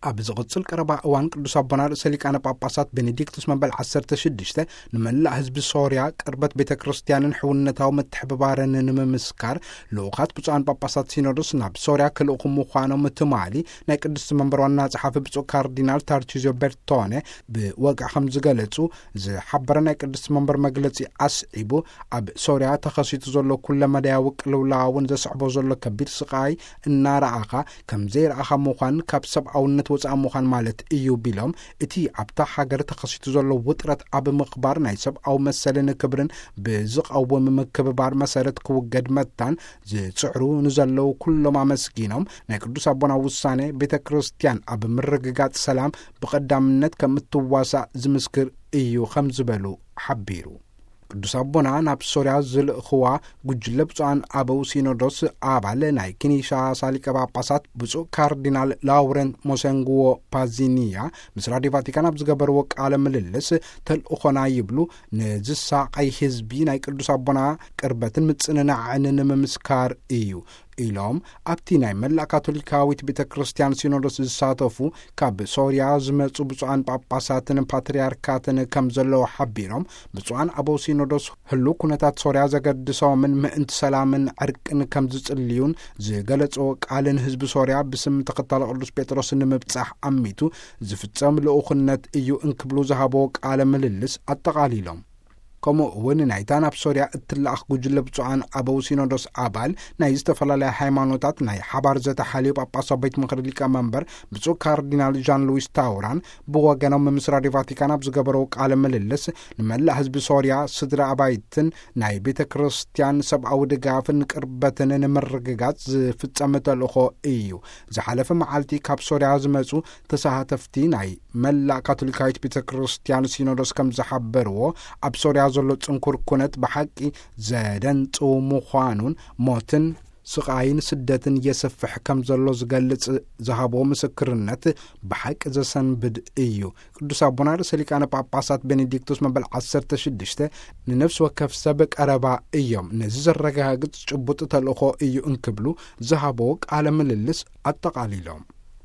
ኣብ ዝቕጽል ቀረባ እዋን ቅዱስ ኣቦና ርእሰ ሊቃነ ጳጳሳት ቤኔዲክቱስ መበል ዓሰርተ ሽዱሽተ ንመላእ ህዝቢ ሶርያ ቅርበት ቤተ ክርስቲያንን ሕውነታዊ ምትሕብባርን ንምምስካር ልኡኻት ብፁዓን ጳጳሳት ሲኖዶስ ናብ ሶርያ ክልእኹ ምዃኖም ትማሊ ናይ ቅድስቲ መንበር ዋና ጸሓፊ ብፁዕ ካርዲናል ታርቺዝዮ ቤርቶነ ብወግዒ ከም ዝገለጹ ዝሓበረ ናይ ቅድስቲ መንበር መግለጺ ኣስዒቡ፣ ኣብ ሶርያ ተኸሲቱ ዘሎ ኩለመዳያዊ ቅልውላውን ዘስዕቦ ዘሎ ከቢድ ስቓይ እናረኣኻ ከም ዘይረኣኻ ምዃን ካብ ሰብኣውነት ወፃኢ ምዃን ማለት እዩ ቢሎም፣ እቲ ኣብታ ሃገር ተኸሲቱ ዘሎ ውጥረት ኣብ ምኽባር ናይ ሰብኣዊ መሰልን ክብርን ብዝቐውም ምክብባር መሰረት ክውገድ መታን ዝፅዕሩ ንዘለዉ ኩሎም ኣመስጊኖም፣ ናይ ቅዱስ ኣቦና ውሳኔ ቤተ ክርስቲያን ኣብ ምርግጋፅ ሰላም ብቐዳምነት ከም እትዋሳእ ዝምስክር እዩ ከም ዝበሉ ሓቢሩ። ቅዱስ ኣቦና ናብ ሶርያ ዝልእኽዋ ጉጅለ ብፁዓን ኣበው ሲኖዶስ ኣባል ናይ ኪንሻሳ ሊቀ ጳጳሳት ብፁዕ ካርዲናል ላውረንት ሞሰንግዎ ፓዚኒያ ምስ ራዲዮ ቫቲካን ኣብ ዝገበርዎ ቃለ ምልልስ፣ ተልእኾና ይብሉ፣ ንዝሳቐይ ህዝቢ ናይ ቅዱስ ኣቦና ቅርበትን ምጽንናዕን ንምምስካር እዩ ኢሎም፣ ኣብቲ ናይ መላእ ካቶሊካዊት ቤተ ክርስቲያን ሲኖዶስ ዝሳተፉ ካብ ሶርያ ዝመጹ ብፁዓን ጳጳሳትን ፓትርያርካትን ከም ዘለዉ ሓቢሮም፣ ብፁዓን ኣበው ሲኖዶስ ህሉ ኩነታት ሶርያ ዘገድሶምን ምእንቲ ሰላምን ዕርቅን ከም ዝጽልዩን ዝገለጾ ቃልን ህዝቢ ሶርያ ብስም ተኸታሊ ቅዱስ ጴጥሮስ ንምብጻሕ ኣሚቱ ዝፍጸም ልኡኽነት እዩ እንክብሉ ዝሃቦ ቃለ ምልልስ ኣጠቓሊሎም። ከምኡ እውን ናይታ ናብ ሶርያ እትለኣኽ ጉጅለ ብፁዓን ኣበው ሲኖዶስ ኣባል ናይ ዝተፈላለያ ሃይማኖታት ናይ ሓባር ዘተ ሓልዮ ጳጳሳዊ ቤት ምኽሪ ሊቀመንበር ብፁዕ ካርዲናል ዣን ሉዊስ ታውራን ብወገኖም ምስ ራዲዮ ቫቲካን ኣብ ዝገበረው ቃለ ምልልስ፣ ንመላእ ህዝቢ ሶርያ፣ ስድራ ኣባይትን ናይ ቤተ ክርስቲያን ሰብኣዊ ድጋፍን ቅርበትን ንምርግጋጽ ዝፍጸም ተልእኾ እዩ። ዝሓለፈ መዓልቲ ካብ ሶርያ ዝመጹ ተሳተፍቲ ናይ መላእ ካቶሊካዊት ቤተ ክርስቲያን ሲኖዶስ ከም ዝሓበርዎ፣ ኣብ ሶርያ ዘሎ ጽንኩር ኩነት ብሓቂ ዘደንጽው ምዃኑን ሞትን ስቓይን ስደትን የስፍሕ ከም ዘሎ ዝገልጽ ዝሃቦ ምስክርነት ብሓቂ ዘሰንብድ እዩ። ቅዱስ ኣቦና ርእሰ ሊቃነ ጳጳሳት ቤኔዲክቱስ መበል ዓሰርተ ሽዱሽተ ንነፍሲ ወከፍ ሰብ ቀረባ እዮም፣ ነዚ ዘረጋግጽ ጭቡጥ ተልእኾ እዩ እንክብሉ ዝሃቦ ቃለ ምልልስ ኣጠቓሊሎም።